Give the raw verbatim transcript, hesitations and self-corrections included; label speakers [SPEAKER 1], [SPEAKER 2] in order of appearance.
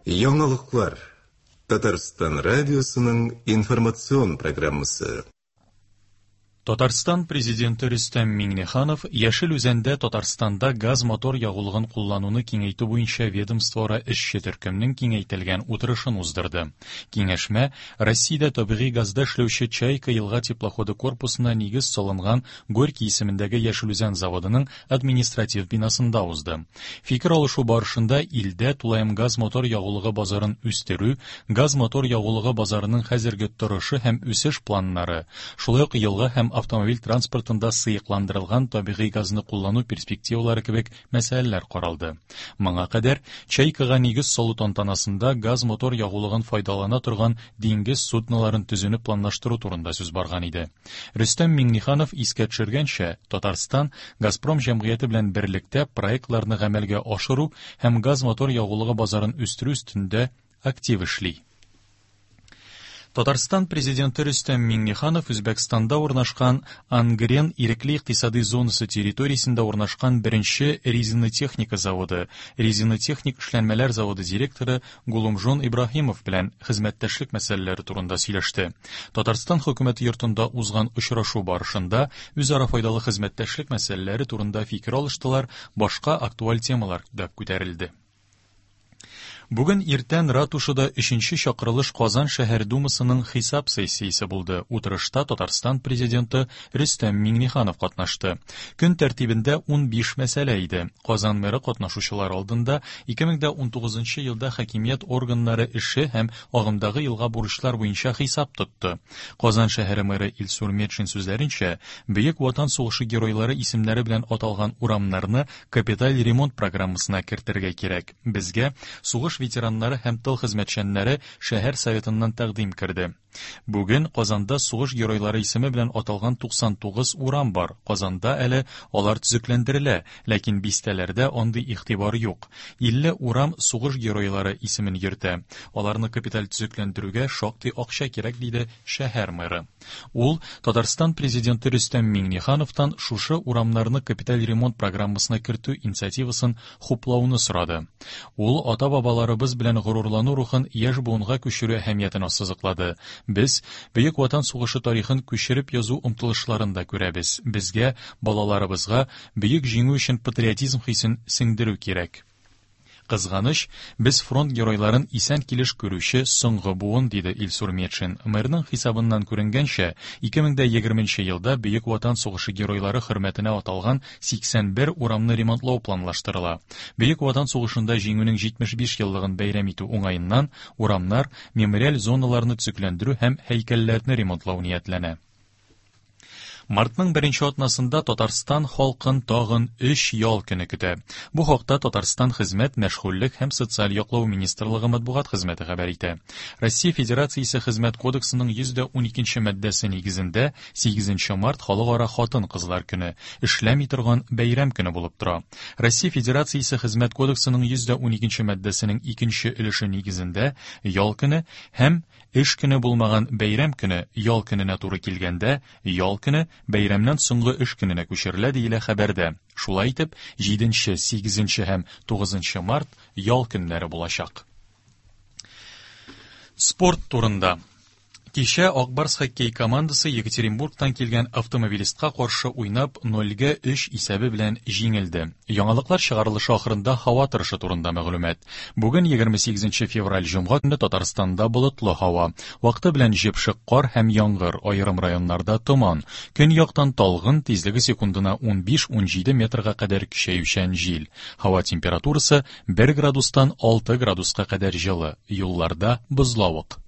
[SPEAKER 1] Яңалыклар. Татарстан радиосының информацион программасы.
[SPEAKER 2] Татарстан президенты Рөстәм Миңнеханов Яшел Үзәндә Татарстанда газ-мотор ягулыгын куллануны киңәйтү буенча ведомствоара эшче төркемнең киңәйтелгән утырышын уздырды. Киңәшмә Россиядә табигый газда эшләүче Чайка елга теплоходы корпусына нигез салынган Горький исемендәге Яшел Үзән заводының административ бинасында узды. Фикер алышу барышында илдә тулаем газ-мотор ягулыгы базарын үстерү, газ-мотор ягулыгы базарының хәзерге торышы һәм үсеш планнары, шулай ук елга һәм автомобиль транспортында сыекландырылган табигый газны куллану перспективалары кебек мәсьәләләр каралды. Моңа кадәр Чайкага нигез салу тантанасында газ-мотор ягулыгын файдалана торган диңгез судноларын төзүне планлаштыру турында сүз барган иде. Рөстәм Миңнеханов искә төшергәнчә, Татарстан Газпром җәмгыяте белән берлектә проектларны гамәлгә ашыру һәм газ-мотор ягулыгы базарын үстерү өстендә актив эшли. Татарстан президенты Рөстәм Миңнеханов Үзбәкстанда урнашкан Ангрен ирекле икътисади зонасы территориясендә урнашкан беренче резинотехника заводы, резинотехник эшләнмәләр заводы директоры Гулумжон Ибраһимов белән хезмәттәшлек мәсьәләләре турында сөйләште. Татарстан хөкүмәте йортында узган очрашу барышында үзара файдалы хезмәттәшлек мәсьәләләре турында фикер алыштылар, башка актуаль темалар да күтәрелде. Бүген иртән ратушада өченче чакырылыш Казан шәһәр думасының хисап сессиясе булды. Утырышта Татарстан президенты Рөстәм Миңнеханов катнашты. Көн тәртибендә унбиш мәсьәлә иде. Казан мэры катнашучылар алдында ике мең дә унтугызынчы елда хакимият органнары эше һәм агымдагы елга бурычлар буенча хисап тотты. Казан шәһәре мэры Илсур Метшин сүзләренчә, Бөек Ватан сугышы геройлары исемнәре белән аталган урамнарны капиталь ремонт программасына кертергә кирәк. Безгә сугыш ветераннары һәм тыл хезмәтчәннәре шәһәр советыннан тәкъдим керде. Бүген Казанда сугыш геройлары исеме белән аталган туксан тугыз урам бар. Казанда әле алар төзекләндерелә, ләкин бистәләрдә андый игътибар юк. Илле урам сугыш геройлары исемен йөртә. Аларны капиталь төзекләндерүгә шактый акча кирәк, диде шәһәр мэры. Ул Татарстан президенты Рөстәм Миңнехановтан шушы урамнарны капиталь ремонт программасына кертү инициативасын хуплауны сорады. Ул ата-бабаларыбыз белән горурлану рухын яшь буынга күчерү әһәмиятен ассызыклады. Без Бөек Ватан сугышы тарихын күчереп язу омтылышларын да күрәбез. Безгә, балаларыбызга бөек җиңү өчен патриотизм хисен сеңдерү кирәк. Кызганыч, без фронт геройларын исән килеш күрүче соңгы буын, диде Илсур Метшин. Мэрның хисабыннан күренгәнчә, ике мең дә егерменче елда Бөек Ватан сугышы геройлары хөрмәтенә аталган сиксән бер урамны ремонтлау планлаштырыла. Бөек Ватан сугышында җиңүнең җитмеш биш еллыгын бәйрәм итү уңаеннан урамнар, мемориаль зоналарны төзекләндерү һәм һәйкәлләрне ремонтлау ниятләнә. Мартның беренче атнасында Татарстан халкын тагын өч ял көне көтә. Бу хакта Татарстан Хезмәт, Мәшгульлек һәм Социаль яклау министрлыгы матбугат хезмәте хәбәр итә. Россия Федерациясе Хезмәт кодексының йөз дә уникенче маддәсе нигезендә сигезенче март халыкара хатын-кызлар көне, эшләми торган бәйрәм көне булып тора. Россия Федерациясе Хезмәт кодексының йөз дә уникенче маддәсенең икенче өлеше нигезендә ял көне һәм эш көне булмаган бәйрәм көне ял көненә туры килгәндә ял көне бәйрәмнән соңгы эш көненә күчерелә, диелә хәбәрдә. Шулай итеп, җиденче, сигезенче һәм тугызынчы март ял көннәре булачак. Спорт турында. Кичә Ак Барс хоккей командасы Екатеринбургтан килгән автомобилистка каршы уйнап нольгә өч исәбе белән җиңелде. Яңалыклар чыгарылышы ахырында һава торышы турында мәгълүмат. Бүген егерме сигезенче февраль җомга көне Татарстанда болытлы һава. Вакыты белән җепшек кар һәм яңгыр, аерым районнарда томан. Көньяктан талгын, тизлеге секундына унбиш-унҗиде метрга кадәр көчәючән җил. Һава температурасы бер градустан алты градуска кадәр җылы. Юлларда бозлавык.